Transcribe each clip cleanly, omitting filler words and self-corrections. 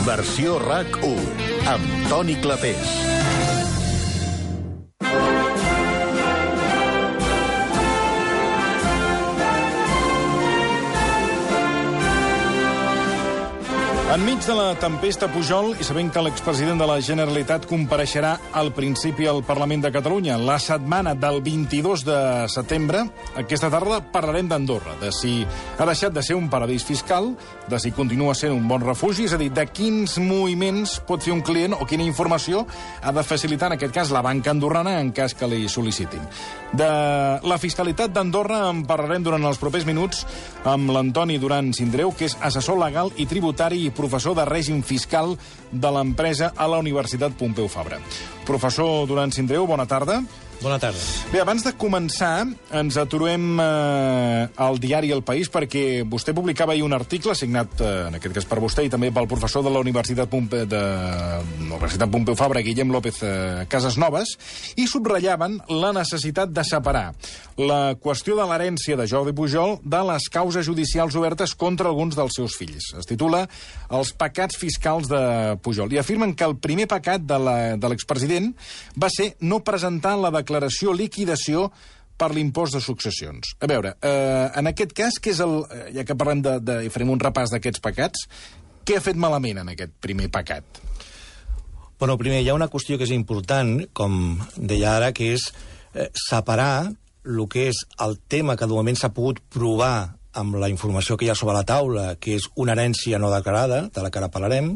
Versió RAC1, amb Toni Clapés. Enmig de la tempesta Pujol, i sabent que l'expresident de la Generalitat compareixerà al principi al Parlament de Catalunya la setmana del 22 de setembre, aquesta tarda parlarem d'Andorra, de si ha deixat de ser un paradís fiscal, de si continua sent un bon refugi, és a dir, de quins moviments pot fer un client o quina informació ha de facilitar, en aquest cas, la banca andorrana en cas que li sol·licitin. De la fiscalitat d'Andorra en parlarem durant els propers minuts amb l'Antoni Duran Sindreu, que és assessor legal i tributari i professor de règim fiscal de l'empresa a la Universitat Pompeu Fabra. Professor Duran Sindreu, bona tarda. Bona tarda. Bé, abans de començar, ens aturem al diari El País, perquè vostè publicava ahir un article signat, en aquest cas per vostè, i també pel professor de la Universitat Pompeu Fabra, Guillem López Casasnovas, i subratllaven la necessitat de separar la qüestió de l'herència de Jordi Pujol de les causes judicials obertes contra alguns dels seus fills. Es titula Els pecats fiscals de Pujol. I afirmen que el primer pecat de l'expresident va ser no presentar la declaració liquidació per l'impost de successions. A veure, en aquest cas, què és ja que parlem i farem un repàs d'aquests pecats, què ha fet malament en aquest primer pecat? Bueno, primer, hi ha una qüestió que és important, com deia ara, que és separar el que és el tema que de moment s'ha pogut provar amb la informació que hi ha sobre la taula, que és una herència no declarada, de la que ara parlarem,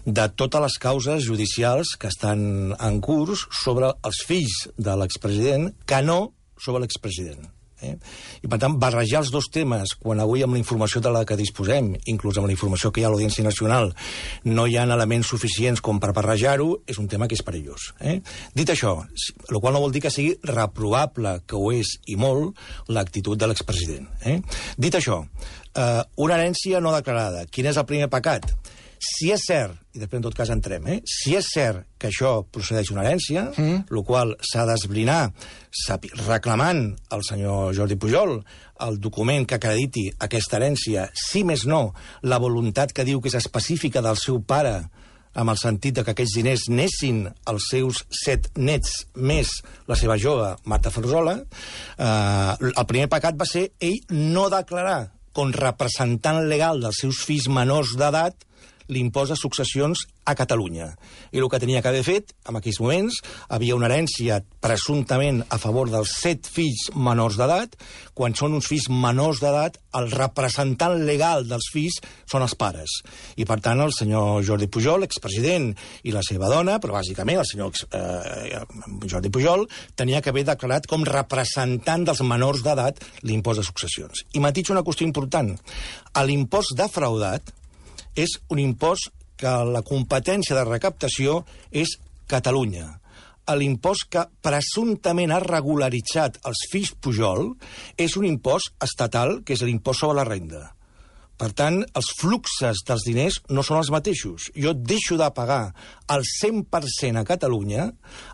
de totes les causes judicials que estan en curs sobre els fills de l'expresident, que no sobre l'expresident. I, per tant, barrejar els dos temes, quan avui amb la informació de la que disposem, inclús amb la informació que hi ha a l'Audiència Nacional, no hi ha elements suficients com per barrejar-ho, és un tema que és perillós. Dit això, el qual no vol dir que sigui reprovable, que ho és i molt, l'actitud de l'expresident. Dit això, una herència no declarada. Quin és el primer pecat? Si és cert, i després en tot cas entrem, si és cert que això procedeix d'una herència, el qual s'ha d'esbrinar reclamant al senyor Jordi Pujol el document que acrediti aquesta herència, si més no, la voluntat que diu que és específica del seu pare, amb el sentit que aquells diners anessin als seus 7 nets més la seva jove, Marta Ferrosola, el primer pecat va ser ell no declarar com representant legal dels seus fills menors d'edat l'impost de successions a Catalunya. I el que tenia que haver fet, en aquells moments, havia una herència presumptament a favor dels 7 fills menors d'edat. Quan són uns fills menors d'edat, el representant legal dels fills són els pares. I, per tant, el senyor Jordi Pujol, expresident, i la seva dona, però bàsicament el senyor Jordi Pujol, tenia que haver declarat com representant dels menors d'edat l'impost de successions. I matitzo una qüestió important. L'impost defraudat és un impost que la competència de recaptació és Catalunya. L'impost que presumptament ha regularitzat els fills Pujol és un impost estatal, que és l'impost sobre la renda. Per tant, els fluxes dels diners no són els mateixos. Jo deixo de pagar el 100% a Catalunya,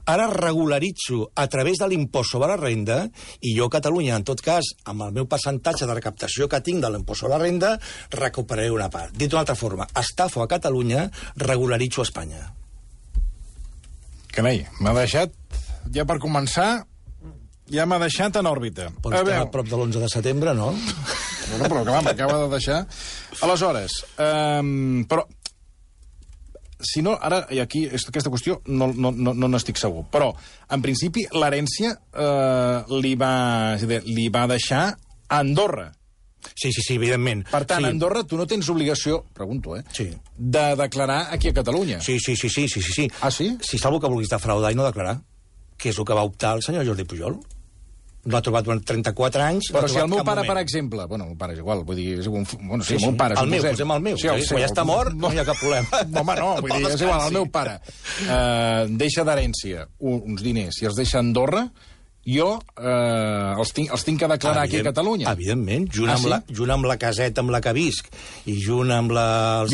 ara regularitzo a través de l'impost sobre la renda, i jo a Catalunya, en tot cas, amb el meu percentatge de recaptació que tinc de l'impost sobre la renda, recuperaré una part. Dit d'una altra forma, estafo a Catalunya, regularitzo a Espanya. Carai, m'ha deixat, ja per començar, ja m'ha deixat en òrbita. Però estem a prop de l'11 de setembre, no? Bueno, però clar, m'acaba de deixar. Aleshores, però, si no, ara, i aquí, aquesta qüestió, no n'estic segur, però, en principi, l'herència li va deixar a Andorra. Sí, evidentment. Per tant, a Andorra tu no tens obligació, pregunto, de declarar aquí a Catalunya. Sí. Ah, sí? Si és algú que vulguis defraudar i no declarar, que és el que va optar el senyor Jordi Pujol. No ha trobat durant 34 anys... Però si el meu pare, per exemple... Bueno, el meu pare és igual, vull dir... Bueno, sí, el meu pare... El meu, posem el meu. Quan ja està mort, no hi ha cap problema. Home, no, vull dir, és igual, el meu pare deixa d'herència uns diners i els deixa a Andorra, jo els tinc que declarar aquí a Catalunya. Evidentment, junt amb la caseta amb la que visc i junt amb els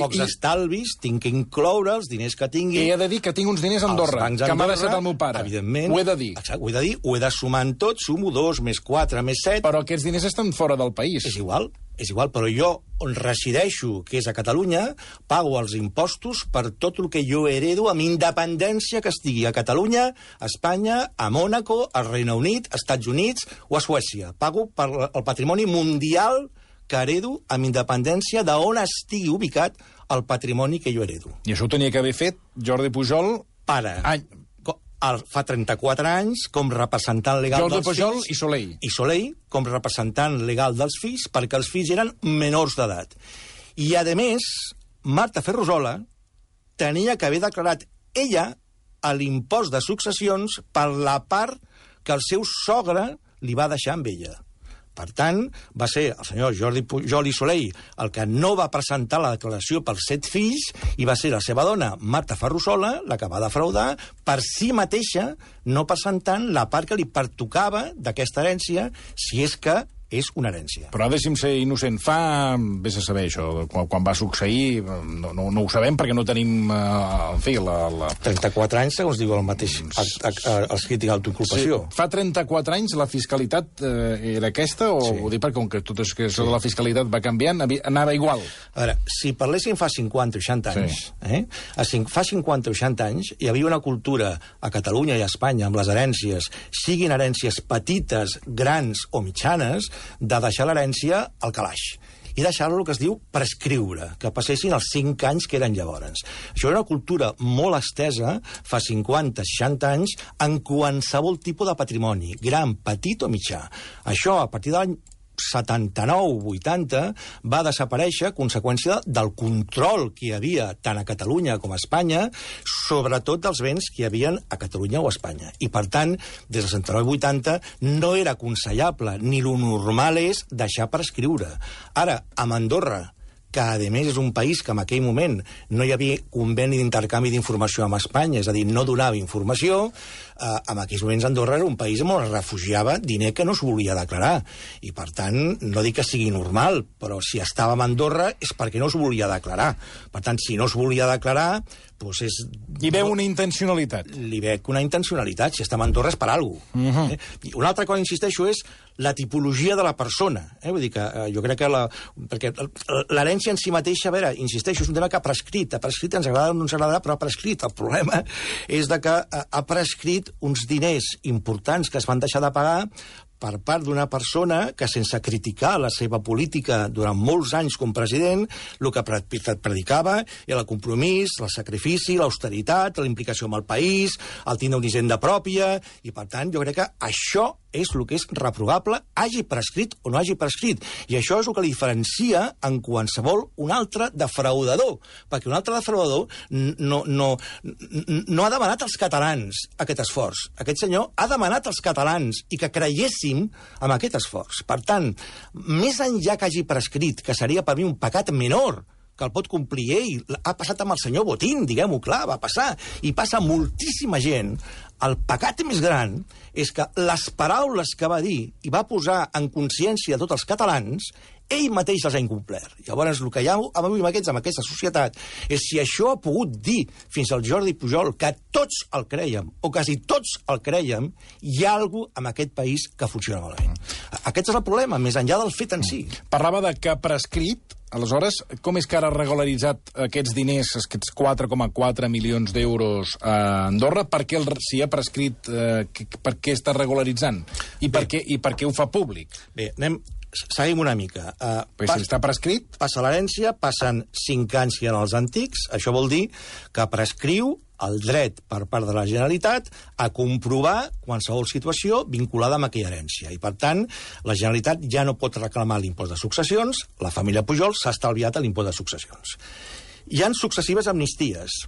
pocs estalvis, tinc que incloure els diners que tingui. I he de dir que tinc uns diners a Andorra, que m'ha deixat el meu pare. Evidentment. Ho he de dir. Exacte, ho he de sumar en tot, sumo 2, més 4, més 7... Però aquests diners estan fora del país. És igual. és igual, però jo, on resideixo, que és a Catalunya, pago els impostos per tot el que jo heredo amb independència que estigui a Catalunya, a Espanya, a Mònaco, al Regne Unit, als Estats Units o a Suècia. Pago per el patrimoni mundial que heredo amb independència d'on estigui ubicat el patrimoni que jo heredo. I això ho tenia que haver fet Jordi Pujol... Fa 34 anys com representant legal dels fills... Jordi Pujol i Soleil. I Soleil com representant legal dels fills perquè els fills eren menors d'edat. I, a més, Marta Ferrusola tenia que haver declarat ella l'impost de successions per la part que el seu sogre li va deixar amb ella. Per tant, va ser el senyor Jordi Pujol i Soleil el que no va presentar la declaració pels 7 fills i va ser la seva dona, Marta Ferrusola, la que va defraudar per si mateixa, no presentant la part que li pertocava d'aquesta herència, si és que és una herència. Però deixi'm ser innocent. Vés a saber això, quan va succeir, no ho sabem perquè no tenim, en fi, 34 anys, segons diu el mateix escrit d'autoinculpació. Sí. Fa 34 anys la fiscalitat era aquesta, o sí. Ho dic perquè com que tot és que això de la fiscalitat va canviant, anava igual? A veure, si parléssim fa 50 o 60 anys, sí. Fa 50 o 60 anys hi havia una cultura a Catalunya i a Espanya amb les herències, siguin herències petites, grans o mitjanes, de deixar l'herència al calaix i deixar-lo el que es diu prescriure, que passessin els 5 anys que eren llavors. Això era una cultura molt estesa fa 50-60 anys en qualsevol tipus de patrimoni, gran, petit o mitjà. Això, a partir de l'any 79-80 va desaparèixer a conseqüència del control que hi havia tant a Catalunya com a Espanya, sobretot dels béns que hi havia a Catalunya o a Espanya. I, per tant, des del 79-80 no era aconsellable, ni lo normal és deixar prescriure. Ara, amb Andorra, que, a més, és un país que en aquell moment no hi havia conveni d'intercanvi d'informació amb Espanya, és a dir, no donava informació, en aquells moments Andorra era un país on es refugiava diner que no es volia declarar. I, per tant, no dic que sigui normal, però si estàvem a Andorra és perquè no es volia declarar. Per tant, si no es volia declarar, doncs és... Hi veu una intencionalitat. Li veig una intencionalitat. Si estem a Andorra és per alguna cosa. I una altra cosa, insisteixo, és la tipologia de la persona. Vull dir que jo crec que perquè l'herència en si mateixa, a veure, insisteixo, és un tema que ha prescrit. Ha prescrit, ens agrada o no ens agradarà, però ha prescrit. El problema és de que ha prescrit uns diners importants que es van deixar de pagar per part d'una persona que, sense criticar la seva política durant molts anys com president, el que predicava era el compromís, el sacrifici, l'austeritat, la implicació amb el país, el tindre una hisenda pròpia, i, per tant, jo crec que això és el que és reprovable, hagi prescrit o no hagi prescrit. I això és el que li diferencia en qualsevol un altre defraudador, perquè un altre defraudador no ha demanat als catalans aquest esforç. Aquest senyor ha demanat als catalans i que creiessin amb aquest esforç. Per tant, més enllà que hagi prescrit, que seria per mi un pecat menor, que el pot complir ell, ha passat amb el senyor Botín, diguem-ho clar, va passar, i passa moltíssima gent. El pecat més gran és que les paraules que va dir i va posar en consciència de tots els catalans, ell mateix les ha incomplert. Llavors, el que hi ha avui amb aquesta societat és si això ha pogut dir fins al Jordi Pujol que tots el creiem, o quasi tots el creiem, hi ha alguna cosa en aquest país que funciona malament. Aquest és el problema, més enllà del fet en si. Parlava de que prescrit. Aleshores, com és que ara ha regularitzat aquests diners, aquests 4,4 milions d'euros a Andorra? Per què si ha prescrit, per què està regularitzant? I per què ho fa públic? Bé, seguim una mica. Si està prescrit? Passa l'herència, passen 5 anys que hi ha els antics, això vol dir que prescriu el dret per part de la Generalitat a comprovar qualsevol situació vinculada amb aquella herència. I, per tant, la Generalitat ja no pot reclamar l'impost de successions, la família Pujol s'ha estalviat l'impost de successions. Hi ha successives amnisties.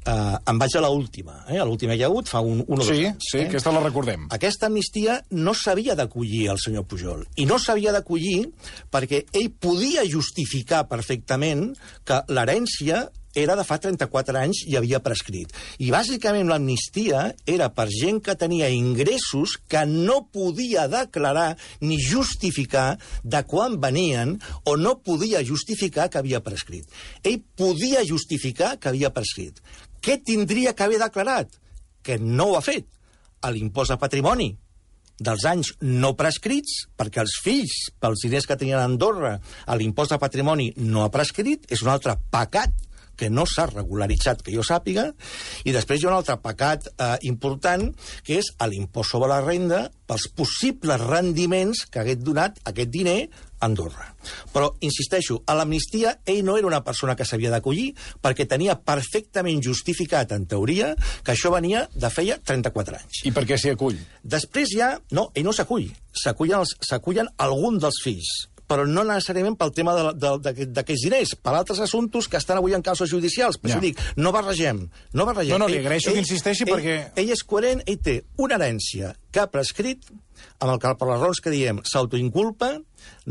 Em vaig a l'última. L'última hi ha hagut fa un o dos anys. Sí, aquesta la recordem. Aquesta amnistia no s'havia d'acollir el senyor Pujol. I no s'havia d'acollir perquè ell podia justificar perfectament que l'herència era de fa 34 anys i havia prescrit. I bàsicament l'amnistia era per gent que tenia ingressos que no podia declarar ni justificar de quan venien o no podia justificar que havia prescrit. Ell podia justificar que havia prescrit. Què tindria que haver declarat? Que no ho ha fet. L'impost de patrimoni, dels anys no prescrits, perquè els fills, pels diners que tenien a Andorra, a l'impost de patrimoni no ha prescrit, és un altre pecat que no s'ha regularitzat, que jo sàpiga, i després hi ha un altre pecat important, que és l'impost sobre la renda pels possibles rendiments que hagués donat aquest diner a Andorra. Però, insisteixo, a l'amnistia ell no era una persona que s'havia d'acollir perquè tenia perfectament justificat, en teoria, que això venia de feia 34 anys. I per què s'hi acull? Després ja... No, ell no s'acull. S'acullen alguns dels fills, però no necessàriament pel tema d'aquests diners, per altres assumptes que estan avui en causes judicials. Per això dic, no barregem. No, li agraeixo que insisteixi perquè... Ell és coherent, ell té una herència que ha prescrit, amb el que, per les raons que diem, s'autoinculpa,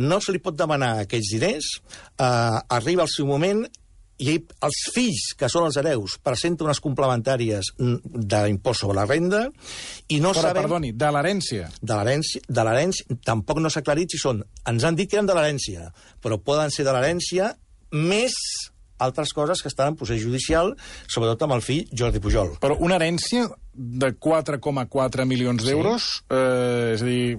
no se li pot demanar aquests diners, arriba el seu moment, i els fills, que són els hereus, presenten unes complementàries d'impost sobre la renda, i no sabem... Perdoni, de l'herència? De l'herència, tampoc no s'ha aclarit si són... Ens han dit que eren de l'herència, però poden ser de l'herència més altres coses que estan en procés judicial, sobretot amb el fill Jordi Pujol. Però una herència de 4,4 milions d'euros, és a dir,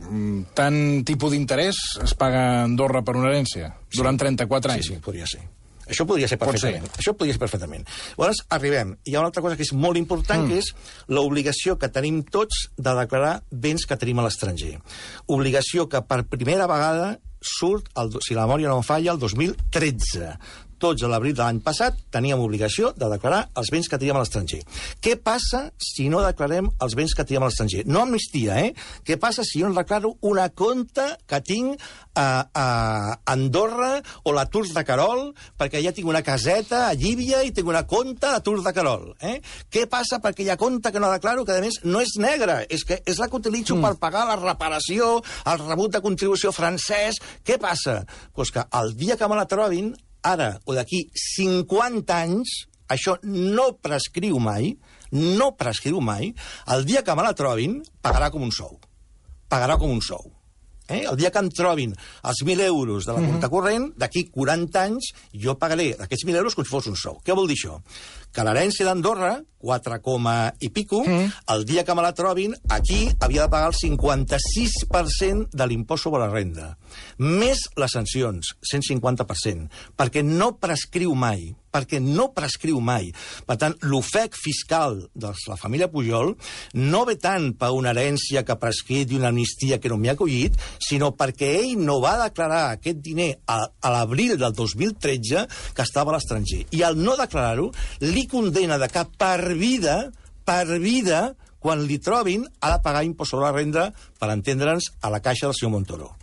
tant tipus d'interès es paga a Andorra per una herència durant 34 anys? Sí, podria ser. Això podria ser perfectament. Això podria ser perfectament. Llavors, arribem. Hi ha una altra cosa que és molt important, que és l'obligació que tenim tots de declarar béns que tenim a l'estranger. Obligació que per primera vegada surt, si la memòria no em falla, el 2013. Tots a l'abril de l'any passat teníem obligació de declarar els béns que teníem a l'estranger. Què passa si no declarem els béns que teníem a l'estranger? No amnistia, Què passa si jo no declaro una compta que tinc a Andorra o la Tours de Querol, perquè ja tinc una caseta a Llívia i tinc una compta a Tours de Querol? Què passa per aquella compta que no declaro, que a més no és negra, és la que utilitzo per pagar la reparació, el rebut de contribució francès? Què passa? Doncs que el dia que me la trobin, ara o d'aquí 50 anys, això no prescriu mai, el dia que me la trobin, pagarà com un sou. Pagarà com un sou. El dia que em trobin els 1.000 euros de la compta corrent, d'aquí 40 anys, jo pagaré aquests 1.000 euros com si fos un sou. Què vol dir això? Que l'herència d'Andorra, 4, i pico, el dia que me la trobin, aquí havia de pagar el 56% de l'impost sobre la renda. Més les sancions, 150%, perquè no prescriu mai. Per tant, l'ofec fiscal de la família Pujol no ve tant per una herència que ha prescrit i una amnistia que no m'hi ha acollit, sinó perquè ell no va declarar aquest diner a l'abril del 2013 que estava a l'estranger. I al no declarar-ho, li condena de que per vida, quan li trobin, ha de pagar impost sobre la renda, per entendre'ns, a la caixa del senyor Montoro.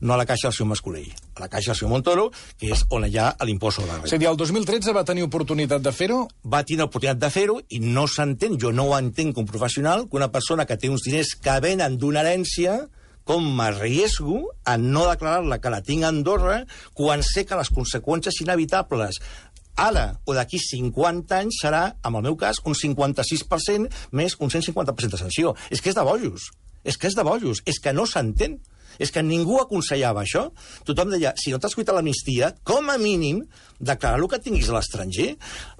No a la caixa del senyor Mascolell, a la caixa del senyor Montoro, que és on hi ha l'impost sobre la renda. És a dir, el 2013 va tenir oportunitat de fer-ho? Va tenir oportunitat de fer-ho i no s'entén, jo no ho entenc com professional, que una persona que té uns diners que venen d'una herència, com m'arriesgo a no declarar-la que la tinc a Andorra, quan sé que les conseqüències inevitables ara o d'aquí 50 anys serà, en el meu cas, un 56% més un 150% de sanció. És que és de bojos. És que no s'entén. És que ningú aconsellava això. Tothom deia, si no t'has cuitat l'amnistia, com a mínim, declarar el que tinguis a l'estranger.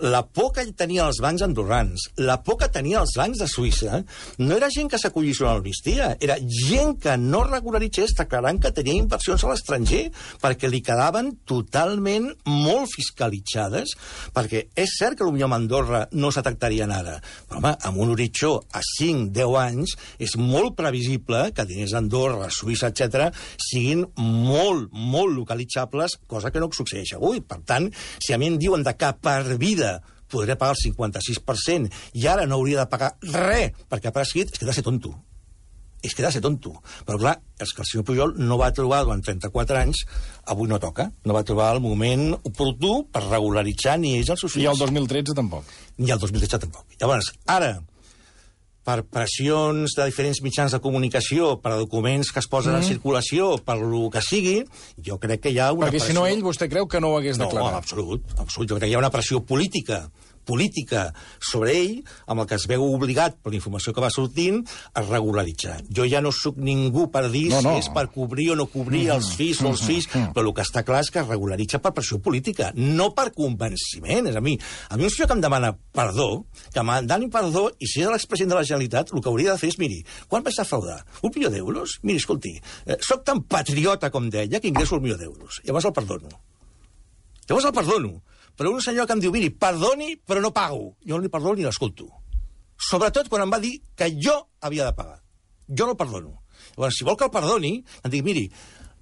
La por que tenien els bancs andorrans, la por que tenien els bancs de Suïssa, no era gent que s'acollís a l'amnistia, era gent que no regularitzés declarant que tenia inversions a l'estranger, perquè li quedaven totalment molt fiscalitzades, perquè és cert que potser a Andorra no s'atractarien ara, però home, amb un horitzó a 5-10 anys és molt previsible que diners d'Andorra, Suïssa, etc., siguin molt localitzables, cosa que no succeeix avui. Per tant, si a mi em diuen que per vida podré pagar el 56% i ara no hauria de pagar res perquè ha prescrit, és que he de ser tonto. Però clar, és que el senyor Pujol no va trobar durant 34 anys, avui no toca, no va trobar el moment oportú per regularitzar ni ells els seus fills. I el 2013 tampoc. Ni el 2013 tampoc. Llavors, ara, per pressions de diferents mitjans de comunicació, per documents que es posen en circulació, per lo que sigui, jo crec que hi ha una pressió... Perquè si no ell, vostè creu que no ho hagués declarat? No, absolut. Jo crec que hi ha una pressió política política sobre ell, amb el que es veu obligat per la informació que va sortint a regularitzar. Jo ja no sóc ningú per dir si és per cobrir o no cobrir els fills o els fills, però el que està clar és que es regularitza per pressió política, no per convenciment. És a mi un senyor que em demana perdó, que em doni perdó, i si és l'expresident de la Generalitat, el que hauria de fer és, miri, quan vaig defraudar? $1 milió? Miri, escolti, soc tan patriota com deia que ingresso $1 milió. Llavors el perdono. Però un senyor que em diu, miri, perdoni, però no pago. Jo no li perdono ni l'escolto. Sobretot quan em va dir que jo havia de pagar. Jo no el perdono. Llavors, si vol que el perdoni, em dic, miri,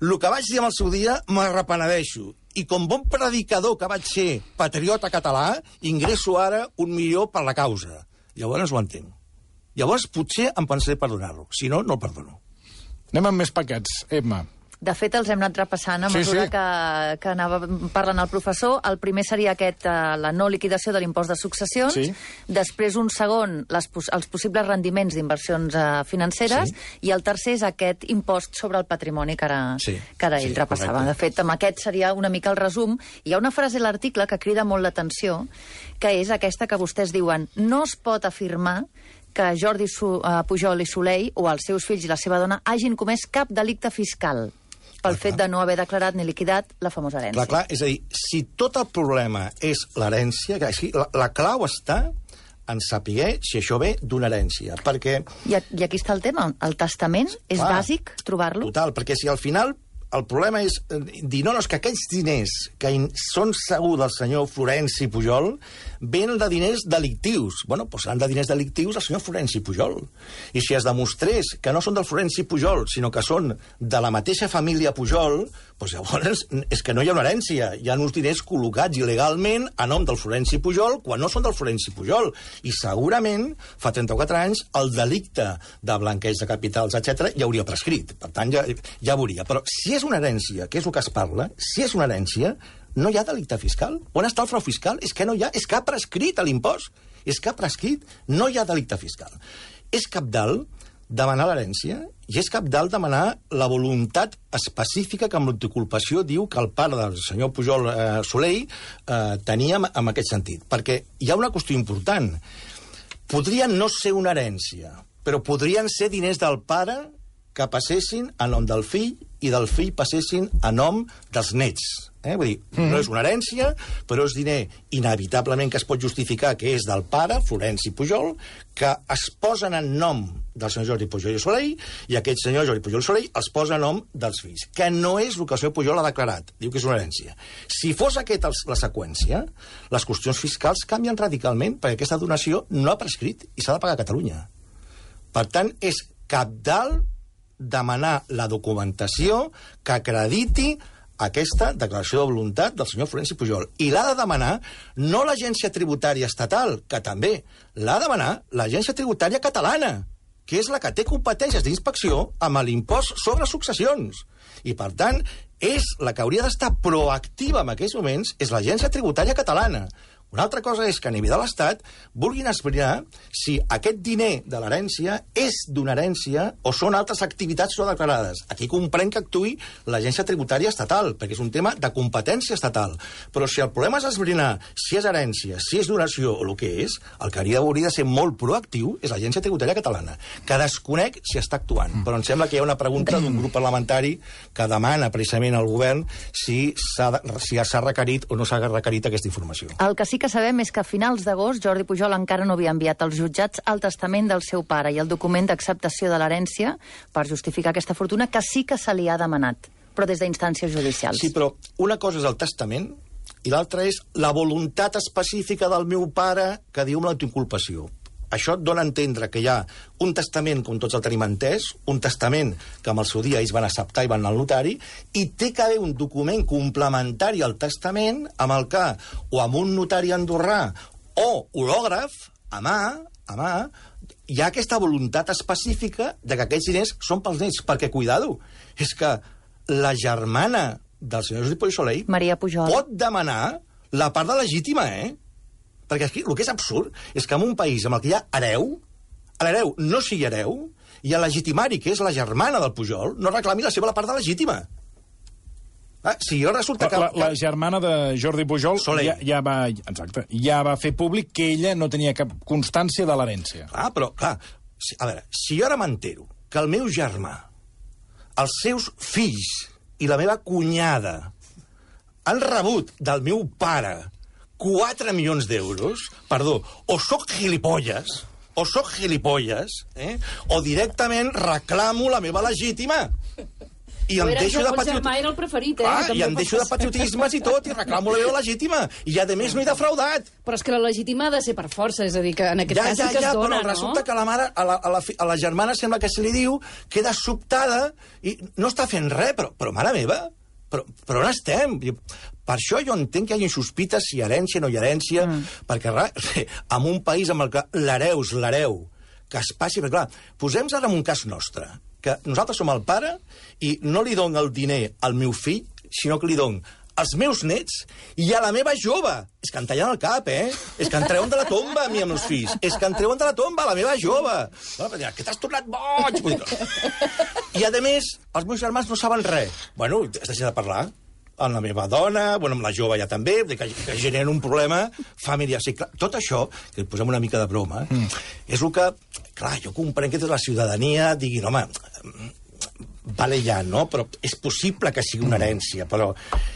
el que vaig dir en el seu dia m'arrepenedeixo. I com bon predicador que vaig ser patriota català, ingresso ara $1 milió per la causa. Llavors ho entenc. Llavors potser em pensaré perdonar-lo. Si no, no el perdono. Anem amb més paquets. Emma. De fet, els hem anat repassant a mesura que anava parlant el professor. El primer seria la no liquidació de l'impost de successions. Sí. Després, un segon, els possibles rendiments d'inversions financeres. Sí. I el tercer és aquest impost sobre el patrimoni que ara ell repassava. Correcte. De fet, amb aquest seria una mica el resum. Hi ha una frase a l'article que crida molt l'atenció, que és aquesta que vostès diuen: no es pot afirmar que Jordi Pujol i Soley, o els seus fills i la seva dona, hagin comès cap delicte fiscal pel fet de no haver declarat ni liquidat la famosa herència. Clar, és a dir, si tot el problema és l'herència, la clau està en saber si això ve d'una herència, perquè... I aquí està el tema, el testament és bàsic trobar-lo? Total, perquè si al final el problema és dir, no, és que aquells diners que són segur del senyor Florenci Pujol venen de diners delictius. Bueno, doncs seran de diners delictius del senyor Florenci Pujol. I si es demostrés que no són del Florenci Pujol, sinó que són de la mateixa família Pujol, doncs llavors és que no hi ha una herència. Hi ha uns diners col·locats il·legalment a nom del Florenci Pujol quan no són del Florenci Pujol. I segurament, fa 34 anys, el delicte de blanqueig de capitals, etc., ja hauria prescrit. Per tant, ja veuria. Però si és una herència, que és el que es parla, si és una herència, no hi ha delicte fiscal. On està el frau fiscal? És que no hi ha, és que ha prescrit l'impost. És que ha prescrit, no hi ha delicte fiscal. És cabdal demanar l'herència i és cabdal demanar la voluntat específica que amb l'anticulpació diu que el pare del senyor Pujol Soley tenia en aquest sentit. Perquè hi ha una qüestió important. Podrien no ser una herència, però podrien ser diners del pare que passessin a nom del fill i del fill passessin a nom dels nets. Vull dir, no és una herència, però és diner inevitablement que es pot justificar que és del pare, Florenci Pujol, que es posen en nom del senyor Jordi Pujol i Soley, i aquest senyor Jordi Pujol i Soley els posa en nom dels fills, que no és el que el senyor Pujol ha declarat. Diu que és una herència. Si fos aquesta la seqüència, les qüestions fiscals canvien radicalment, perquè aquesta donació no ha prescrit i s'ha de pagar a Catalunya. Per tant, és cabdal demanar la documentació que acrediti aquesta declaració de voluntat del senyor Florenci Pujol. I l'ha de demanar no l'agència tributària estatal, que també, l'ha de demanar l'agència tributària catalana, que és la que té competències d'inspecció amb l'impost sobre successions. I, per tant, és la que hauria d'estar proactiva en aquests moments, és l'agència tributària catalana. Una altra cosa és que a nivell de l'Estat vulguin esbrinar si aquest diner de l'herència és d'una herència o són altres activitats no declarades. Aquí comprenc que actuï l'agència tributària estatal, perquè és un tema de competència estatal. Però si el problema és esbrinar si és herència, si és donació o el que és, el que hauria de ser molt proactiu és l'agència tributària catalana, que desconec si està actuant. Però em sembla que hi ha una pregunta d'un grup parlamentari que demana precisament al govern si s'ha requerit o no s'ha requerit aquesta informació. El que sí que sabem és que a finals d'agost Jordi Pujol encara no havia enviat als jutjats el testament del seu pare i el document d'acceptació de l'herència per justificar aquesta fortuna, que sí que se li ha demanat, però des d'instàncies judicials. Sí, però una cosa és el testament i l'altra és la voluntat específica del meu pare que diu amb l'autoinculpació. Això et dona a entendre que hi ha un testament, com tots el tenim entès, un testament que amb el seu dia ells van acceptar i van anar al notari, i té que haver un document complementari al testament amb el que, o amb un notari andorrà o hològraf, a mà, hi ha aquesta voluntat específica de que aquests diners són pels nets, perquè, cuidado, és que la germana del senyor Jordi Pujol i Soley, Maria Pujol, pot demanar la part de legítima, Perquè aquí el que és absurd és que en un país en el que hi ha hereu, l'hereu no sigui hereu, i el legitimari, que és la germana del Pujol, no reclami la seva part de legítima. Si jo resulta que... La germana de Jordi Pujol ja va fer públic que ella no tenia cap constància de l'herència. Però, clar, a veure, si jo ara m'entero que el meu germà, els seus fills i la meva cunyada han rebut del meu pare 4 milions d'euros, perdó, o soc gilipolles, o directament reclamo la meva legítima. I em deixo de era el preferit, i em deixo de patriotismes i tot, i reclamo la meva legítima. I, a més, no he defraudat. Però és que la legítima ha de ser per força, és a dir, que en aquest cas sí que es dona, però resulta que la mare, a la germana sembla que se li diu, queda sobtada i no està fent res, però mare meva, però on estem? Per això jo entenc que hi hagi sospites si hi ha herència o no hi ha herència, perquè en un país amb el que l'hereu, que es passi... Perquè, clar, posem-nos ara en un cas nostre, que nosaltres som el pare i no li dono el diner al meu fill, sinó que li dono als meus nets i a la meva jove. És que em tallen el cap, És que em treuen de la tomba, a mi, amb els fills. És que em treuen de la tomba, a la meva jove. Que t'has tornat boig! I, a més, els meus germans no saben res. Bueno, has deixat de parlar amb la meva dona, amb la jove ja també, que generen un problema familiar. Sí, clar, tot això, que posem una mica de broma, és el que... Clar, jo comprenc que tota la ciutadania diguin, home, vale ja, no? Però és possible que sigui una herència, però,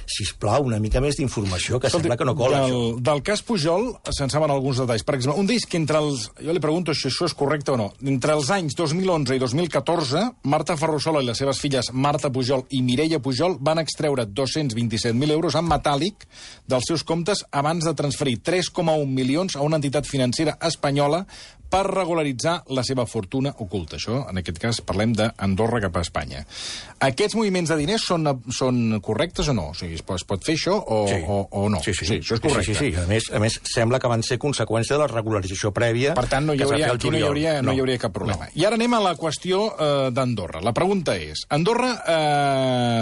sisplau, una mica més d'informació, que sembla que no cola, això. Del cas Pujol se'n saben alguns detalls. Per exemple, un d'ells que entre els... Jo li pregunto si això és correcte o no. Entre els anys 2011 i 2014, Marta Ferrusola i les seves filles Marta Pujol i Mireia Pujol van extreure 227.000 euros en metàl·lic dels seus comptes abans de transferir 3,1 milions a una entitat financera espanyola per regularitzar la seva fortuna oculta. Això, en aquest cas, parlem d'Andorra cap a Espanya. Aquests moviments de diners són correctes o no? O sigui, es pot fer això o no? Sí, això és correcte. Sí. A més, sembla que van ser conseqüència de la regularització prèvia. Per tant, no hi hauria cap problema. I ara anem a la qüestió d'Andorra. La pregunta és, Andorra,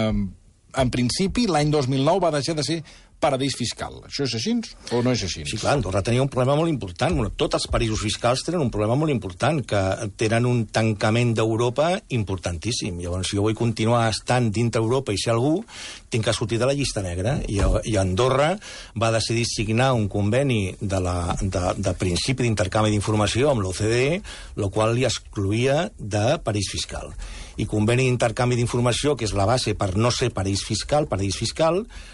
en principi, l'any 2009 va deixar de ser paradís fiscal. Això és així o no és així? Sí, clar, Andorra tenia un problema molt important. Tots els paradisos fiscals tenen un problema molt important, que tenen un tancament d'Europa importantíssim. Llavors, si jo vull continuar estant dintre Europa i ser algú, tinc que sortir de la llista negra. I Andorra va decidir signar un conveni de principi d'intercanvi d'informació amb l'OCDE, el qual li excloïa de paradís fiscal. I conveni d'intercanvi d'informació, que és la base per no ser paradís fiscal,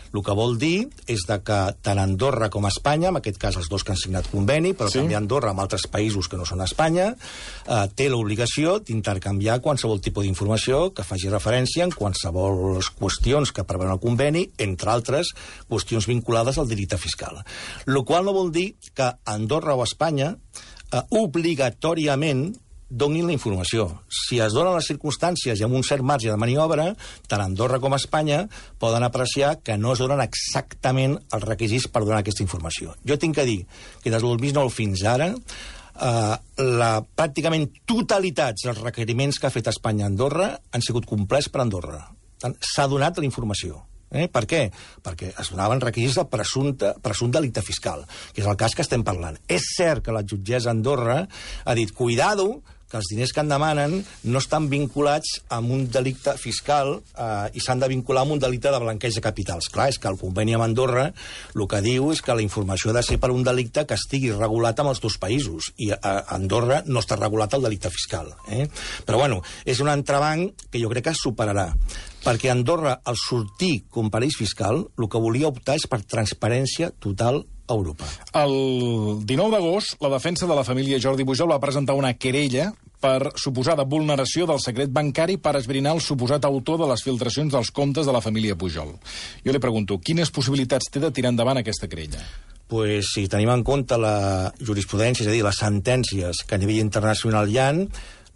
el que vol dir és que tant Andorra com Espanya, en aquest cas els dos que han signat conveni, però també Andorra amb altres països que no són Espanya, té l'obligació d'intercanviar qualsevol tipus d'informació que faci referència en qualsevol qüestions que preveuen el conveni, entre altres qüestions vinculades al delicte fiscal. El qual no vol dir que Andorra o Espanya obligatòriament donin la informació. Si es donen les circumstàncies i amb un cert marge de maniobra, tant Andorra com Espanya poden apreciar que no es donen exactament els requisits per donar aquesta informació. Jo tinc que dir que des del 2009 fins ara, pràcticament totalitats dels requeriments que ha fet Espanya a Andorra han sigut complerts per Andorra. S'ha donat la informació. Per què? Perquè es donaven requisits de presumpte delicte fiscal, que és el cas que estem parlant. És cert que la jutgessa Andorra ha dit, cuidado, que els diners que en demanen no estan vinculats amb un delicte fiscal i s'han de vincular amb un delicte de blanqueig de capitals. Clar, és que el conveni amb Andorra el que diu és que la informació ha de ser per un delicte que estigui regulat amb els dos països, i a Andorra no està regulat el delicte fiscal. Però, bueno, és un entrebanc que jo crec que es superarà, perquè Andorra, al sortir com paradís fiscal, el que volia optar és per transparència total a Europa. El 19 d'agost, la defensa de la família Jordi Pujol va presentar una querella per suposada vulneració del secret bancari per esbrinar el suposat autor de les filtracions dels comptes de la família Pujol. Jo li pregunto, quines possibilitats té de tirar endavant aquesta querella? Pues, si tenim en compte la jurisprudència, és a dir, les sentències que a nivell internacional hi ha,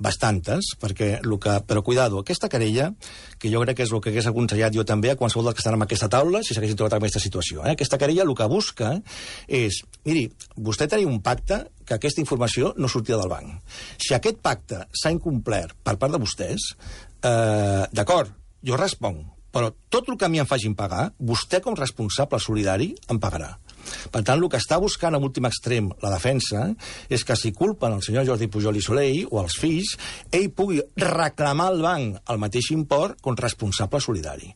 bastantes, però cuidado, aquesta querella, que jo crec que és el que hagués aconsellat jo també a qualsevol dels que estan en aquesta taula si s'haguessin trobat en aquesta situació. Aquesta querella el que busca és, miri, vostè tenia un pacte que aquesta informació no sortia del banc. Si aquest pacte s'ha incomplert per part de vostès, d'acord, jo responc, però tot el que a mi em facin pagar, vostè com responsable solidari em pagarà. Per tant, el que està buscant en últim extrem la defensa és que si culpen el senyor Jordi Pujol i Soley o els fills, ell pugui reclamar al banc el mateix import com responsable solidari.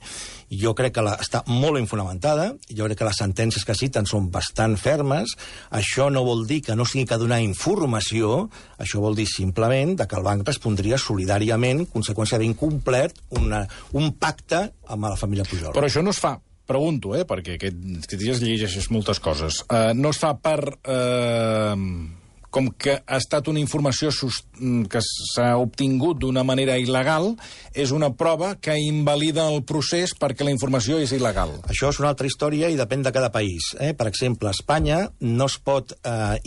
Jo crec que està molt ben fonamentada, jo crec que les sentències que citen són bastant fermes. Això no vol dir que no sigui que donar informació, això vol dir simplement que el banc respondria solidàriament, conseqüència d'incomplert un pacte amb la família Pujol. Però això no es fa, pregunto, perquè aquests dies llegeixes moltes coses, no es fa per... com que ha estat una informació que s'ha obtingut d'una manera il·legal, és una prova que invalida el procés perquè la informació és il·legal. Això és una altra història i depèn de cada país. Per exemple, a Espanya no es pot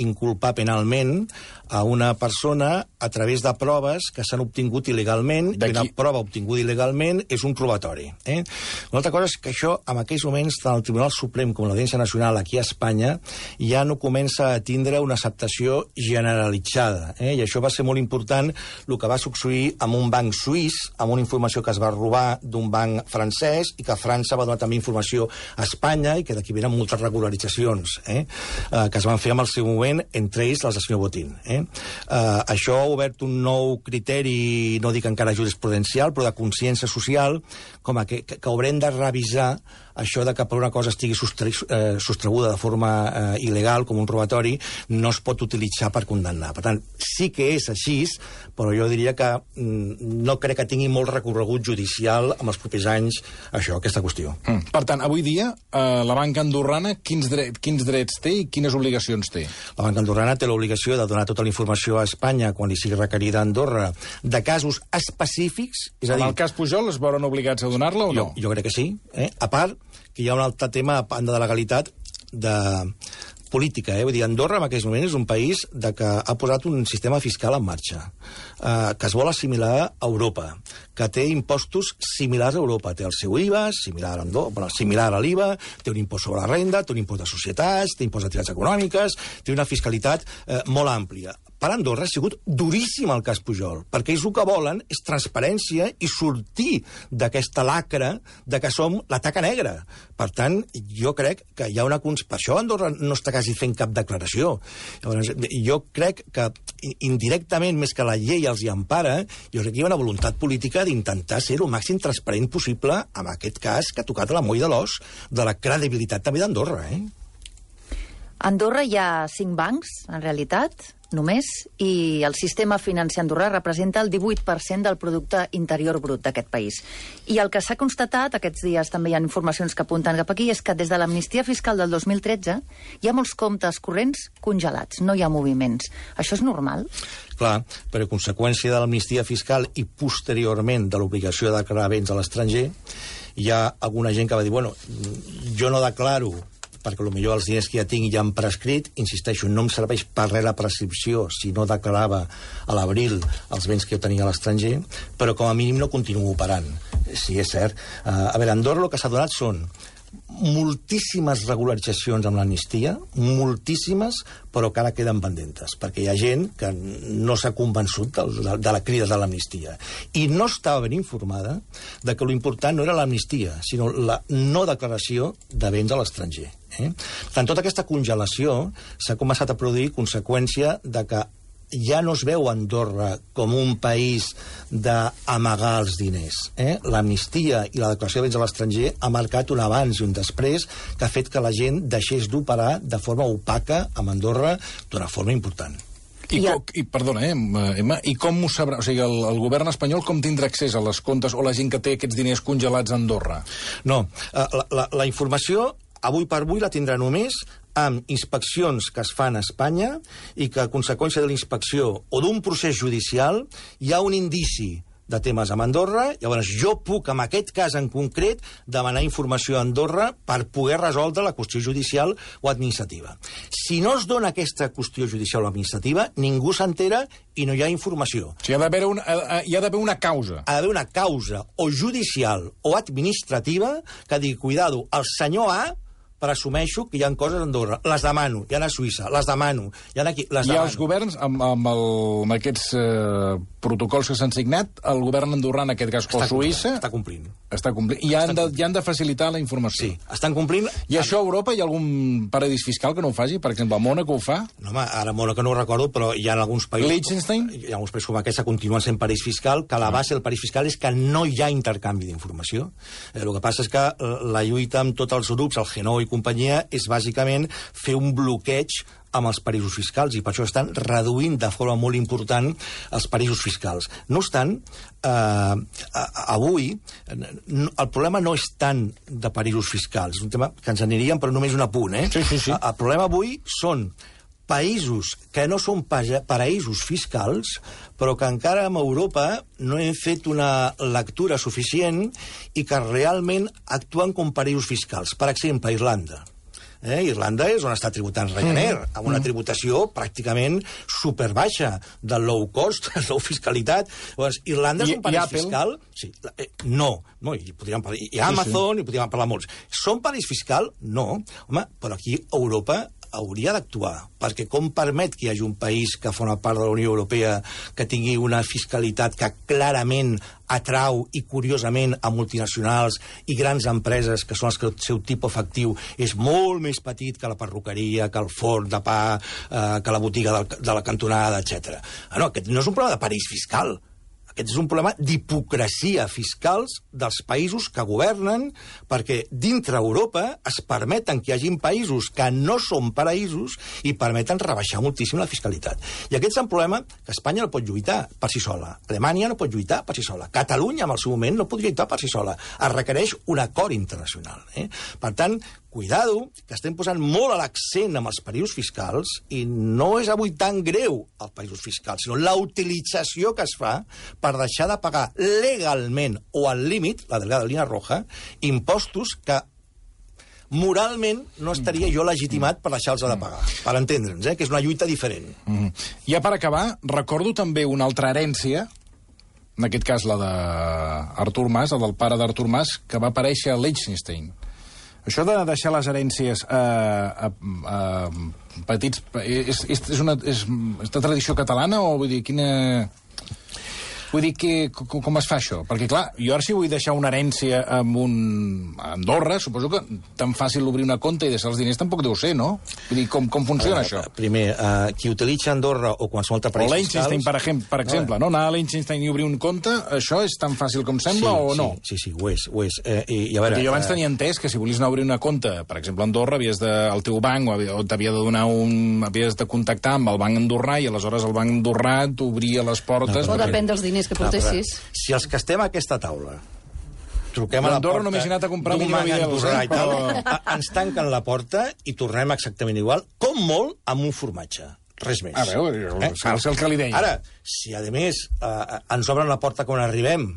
inculpar penalment a una persona a través de proves que s'han obtingut il·legalment, i una prova obtinguda il·legalment és un robatori. Una altra cosa és que això, en aquells moments, tant el Tribunal Suprem com l'Audiència Nacional aquí a Espanya ja no comença a tindre una acceptació generalitzada. I això va ser molt important el que va succeir amb un banc suís, amb una informació que es va robar d'un banc francès i que França va donar també informació a Espanya i que d'aquí venen moltes regularitzacions que es van fer amb el seu moment, entre ells les del senyor Botín. Això ha obert un nou criteri, no dic encara jurisprudencial, però de consciència social, com que haurem de revisar això de que per una cosa estigui sostreguda de forma il·legal, com un robatori, no es pot utilitzar per condemnar. Per tant, sí que és així, però jo diria que no crec que tingui molt recorregut judicial en els propers anys aquesta qüestió. Per tant, avui dia, la banca andorrana quins drets té i quines obligacions té? La banca andorrana té l'obligació de donar tota la informació a Espanya quan li sigui requerida a Andorra de casos específics. És a dir, en el cas Pujol es veuran obligats a donar-la o no? Jo crec que sí. A part, que hi ha un altre tema a banda de legalitat de política. Vull dir, Andorra en aquest moment és un país que ha posat un sistema fiscal en marxa, que es vol assimilar a Europa, que té impostos similars a Europa. Té el seu IVA, similar a l'IVA, té un impost sobre la renda, té un impost de societats, té impost d'activitats econòmiques, té una fiscalitat molt àmplia. Per Andorra ha sigut duríssim el cas Pujol, perquè ells el que volen és transparència i sortir d'aquesta lacra de que som la taca negra. Per tant, jo crec que hi ha una... Per això Andorra no està quasi fent cap declaració. Llavors, jo crec que indirectament, més que la llei els hi empara, jo crec que hi ha una voluntat política d'intentar ser el màxim transparent possible en aquest cas que ha tocat a la moll de l'os de la credibilitat també d'Andorra. A Andorra hi ha 5 bancs, en realitat, només, i el sistema financer andorrà representa el 18% del producte interior brut d'aquest país. I el que s'ha constatat, aquests dies també hi ha informacions que apunten cap aquí, és que des de l'amnistia fiscal del 2013 hi ha molts comptes corrents congelats, no hi ha moviments. Això és normal? Clar, per conseqüència de l'amnistia fiscal i posteriorment de l'obligació de declarar béns a l'estranger, hi ha alguna gent que va dir, bueno, jo no declaro perquè potser els diners que ja tinc ja han prescrit, insisteixo, no em serveix per res la prescripció si no declarava a l'abril els béns que jo tenia a l'estranger, però com a mínim no continuo operant. Sí, és cert. A veure, a Andorra el que s'ha donat són moltíssimes regularitzacions amb l'amnistia, moltíssimes, però que ara queden pendentes, perquè hi ha gent que no s'ha convençut de la crida de l'amnistia. I no estava ben informada de que l'important no era l'amnistia, sinó la no declaració de béns a l'estranger. Tant tota aquesta congelació s'ha començat a produir conseqüència de que ja no es veu Andorra com un país d'amagar els diners. L'amnistia i la declaració de béns a l'estranger ha marcat un abans i un després que ha fet que la gent deixés d'operar de forma opaca amb Andorra d'una forma important. Perdona, Emma, i com ho sabrà? O sigui, el govern espanyol com tindrà accés a les comptes o la gent que té aquests diners congelats a Andorra? No, la informació avui per avui la tindrà només amb inspeccions que es fan a Espanya i que a conseqüència de la inspecció o d'un procés judicial hi ha un indici de temes amb Andorra, llavors jo puc, en aquest cas en concret, demanar informació a Andorra per poder resoldre la qüestió judicial o administrativa. Si no es dona aquesta qüestió judicial o administrativa, ningú s'entera i no hi ha informació. O sigui, hi ha d'haver una causa. Ha d'haver una causa o judicial o administrativa que digui, cuidado, el senyor A presumeixo que hi ha coses a Andorra. Les demano. Hi ha a Suïssa. Les demano. Hi ha aquí. Les demano. I els governs, amb aquests protocols que s'han signat, el govern andorrà, en aquest cas, o Suïssa... Està complint. Està complint. I han de facilitar la informació. Sí, estan complint... I això a Europa hi ha algun paradís fiscal que no ho faci? Per exemple, Mònaco ho fa? No, home, ara Mònaco no ho recordo, però hi ha alguns països... Liechtenstein? Hi ha alguns països com aquests que continuen sent paradís fiscal, que la base del paradís fiscal és que no hi ha intercanvi d'informació. El que passa és que la lluita amb tots els grups, el G9 i companyia, és bàsicament fer un bloqueig amb els paradisos fiscals, i per això estan reduint de forma molt important els paradisos fiscals. No obstant, avui el problema no és tant de paradisos fiscals, és un tema que ens aniríem, però només un apunt. Sí. El problema avui són països que no són paraïsos fiscals, però que encara en Europa no hem fet una lectura suficient i que realment actuen com paraïsos fiscals. Per exemple, Irlanda. Irlanda és on està tributant Ryanair, amb una tributació pràcticament superbaixa del low cost, low fiscalitat. Llavors, Irlanda és un paraís fiscal? Sí. No, i podríem parlar, i Amazon, i podríem parlar molts. Són paraís fiscal? No. Home, però aquí Europa hauria d'actuar, perquè com permet que hi hagi un país que forma part de la Unió Europea que tingui una fiscalitat que clarament atrau i, curiosament, a multinacionals i grans empreses que són les que el seu tipus efectiu és molt més petit que la perruqueria, que el forn de pa, que la botiga de la cantonada, etc. No, aquest no és un problema de parís fiscal. Aquest és un problema d'hipocresia fiscals dels països que governen, perquè dintre Europa es permeten que hi hagin països que no són paraïsos i permeten rebaixar moltíssim la fiscalitat. I aquest és un problema que Espanya no pot lluitar per si sola. Alemanya no pot lluitar per si sola. Catalunya, en el seu moment, no pot lluitar per si sola. Es requereix un acord internacional. Per tant, cuidado, que estem posant molt l'accent amb els paradisos fiscals i no és avui tan greu els paradisos fiscals, sinó la utilització que es fa per deixar de pagar legalment o al límit, la delgada línia roja, impostos que moralment no estaria jo legitimat per deixar-los de pagar, per entendre'ns, que és una lluita diferent. Ja per acabar, recordo també una altra herència, en aquest cas la d'Artur Mas, la del pare d'Artur Mas, que va aparèixer a Liechtenstein. Això de deixar les herències a petits... És una tradició catalana o vull dir, quina... Vull dir, com es fa això? Perquè, clar, jo ara si vull deixar una herència a Andorra, suposo que tan fàcil obrir una compte i deixar els diners tampoc deu ser, no? Vull dir, com funciona això? Primer, qui utilitza Andorra o qualsevol altre país fiscal... O Liechtenstein, per exemple, no? Anar a Liechtenstein i obrir un compte, això és tan fàcil com sembla o no? Sí, ho és. I a veure, perquè jo abans tenia entès que si volies anar a obrir una compte, per exemple, a Andorra, el teu banc o t'havia de donar havies de contactar amb el banc andorrà i aleshores el banc andorrà t'obria les portes... O depèn dels diners que portessis. Si els que estem a aquesta taula truquem a la porta només he anat a comprar d'un banc andorrà i tal, ens tanquen la porta i tornem exactament igual, com molt amb un formatge. Res més. A veure, és el que li deia. Ara, si a més ens obren la porta quan arribem,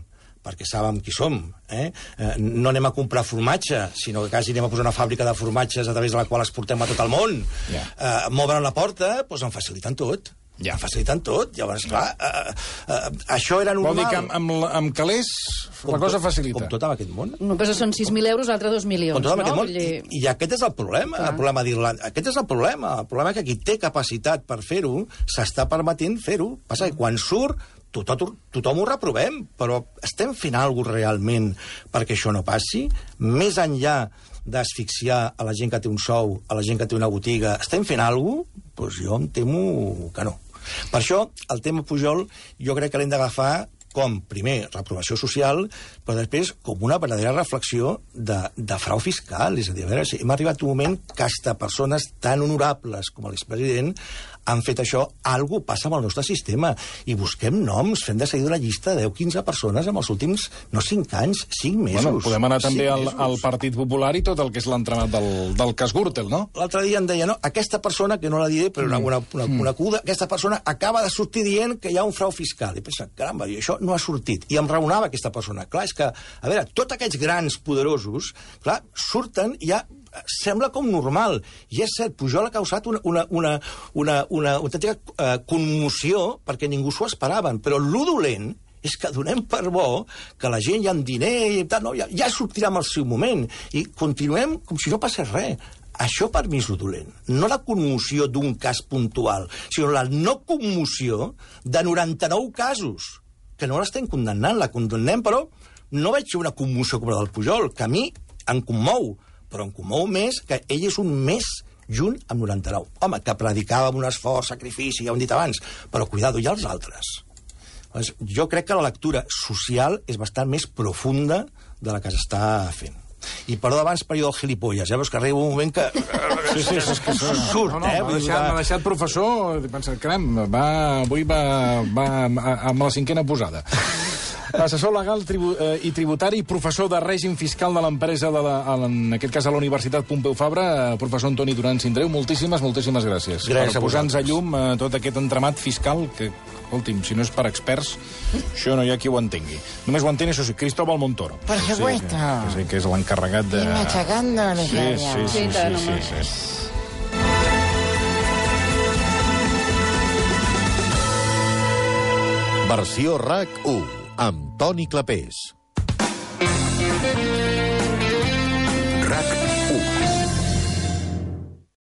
perquè saben qui som, no anem a comprar formatge, sinó que quasi anem a posar una fàbrica de formatges a través de la qual exportem a tot el món. M'obren la porta, doncs em faciliten tot. Ja faciliten tot, llavors, clar, això era normal. Vol dir que amb calés la cosa facilita. Com tot en aquest món. Una cosa són 6.000 euros, l'altra 2 milions, com tot en aquest no? Món. I aquest és el problema, el problema d'Irlanda. Aquest és el problema és que qui té capacitat per fer-ho s'està permetent fer-ho. Passa que quan surt tothom ho reprovem, però estem fent alguna cosa realment perquè això no passi? Més enllà d'asfixiar a la gent que té un sou, a la gent que té una botiga, estem fent alguna cosa? Doncs jo em temo que no. Per això, el tema Pujol, jo crec que l'hem d'agafar com, primer, reprovació social, però després com una verdadera reflexió de frau fiscal. És a dir, a veure, hem arribat a un moment que hasta persones tan honorables com l'expresident han fet això, algú passa amb el nostre sistema, i busquem noms, fem de seguida una llista de 10-15 persones en els últims, no 5 anys, 5 mesos. Bueno, podem anar també al Partit Popular i tot el que és l'entramat del cas Gürtel, no? L'altre dia em deia, no, aquesta persona, que no la diré, però una acuda, aquesta persona acaba de sortir dient que hi ha un frau fiscal. I pensa, caramba, això no ha sortit. I em raonava aquesta persona. Clar, és que, a veure, tots aquests grans poderosos, clar, surten i ja sembla com normal. I és cert, Pujol ha causat una autèntica commoció perquè ningú s'ho esperaven. Però lo dolent és que donem per bo que la gent ja amb diner i tal, no, ja sortirà en el seu moment, i continuem com si no passés res. Això per mi és lo dolent. No la commoció d'un cas puntual, sinó la no commoció de 99 casos, que no l'estem condemnant, la condemnem, però no veig una commoció com la del Pujol, que a mi em commou, però em commou més que ell és un més junt amb 99. Home, que predicava amb un esforç, sacrifici, ja ho hem dit abans, però cuidado, hi ha els altres. Jo crec que la lectura social és bastant més profunda de la que s'està fent. I perdó abans per allò del gilipolles, veus que arriba un moment que... Sí, és que surt, m'ha deixat professor, pensa, caram, avui va amb la 5ª posada. Assessor legal i tributari, professor de règim fiscal de l'empresa, en aquest cas a la Universitat Pompeu Fabra, professor Antoni Duran Sindreu, moltíssimes gràcies per posar-nos a llum tot aquest entramat fiscal que, escolti'm, si no és per experts, això no hi ha qui ho entengui. Només ho entén, això sí, Cristóbal Montoro. Per supuesto. Sí, que és l'encarregat de... Y machacando a Sí. Versió RAC 1, amb Toni Clapés.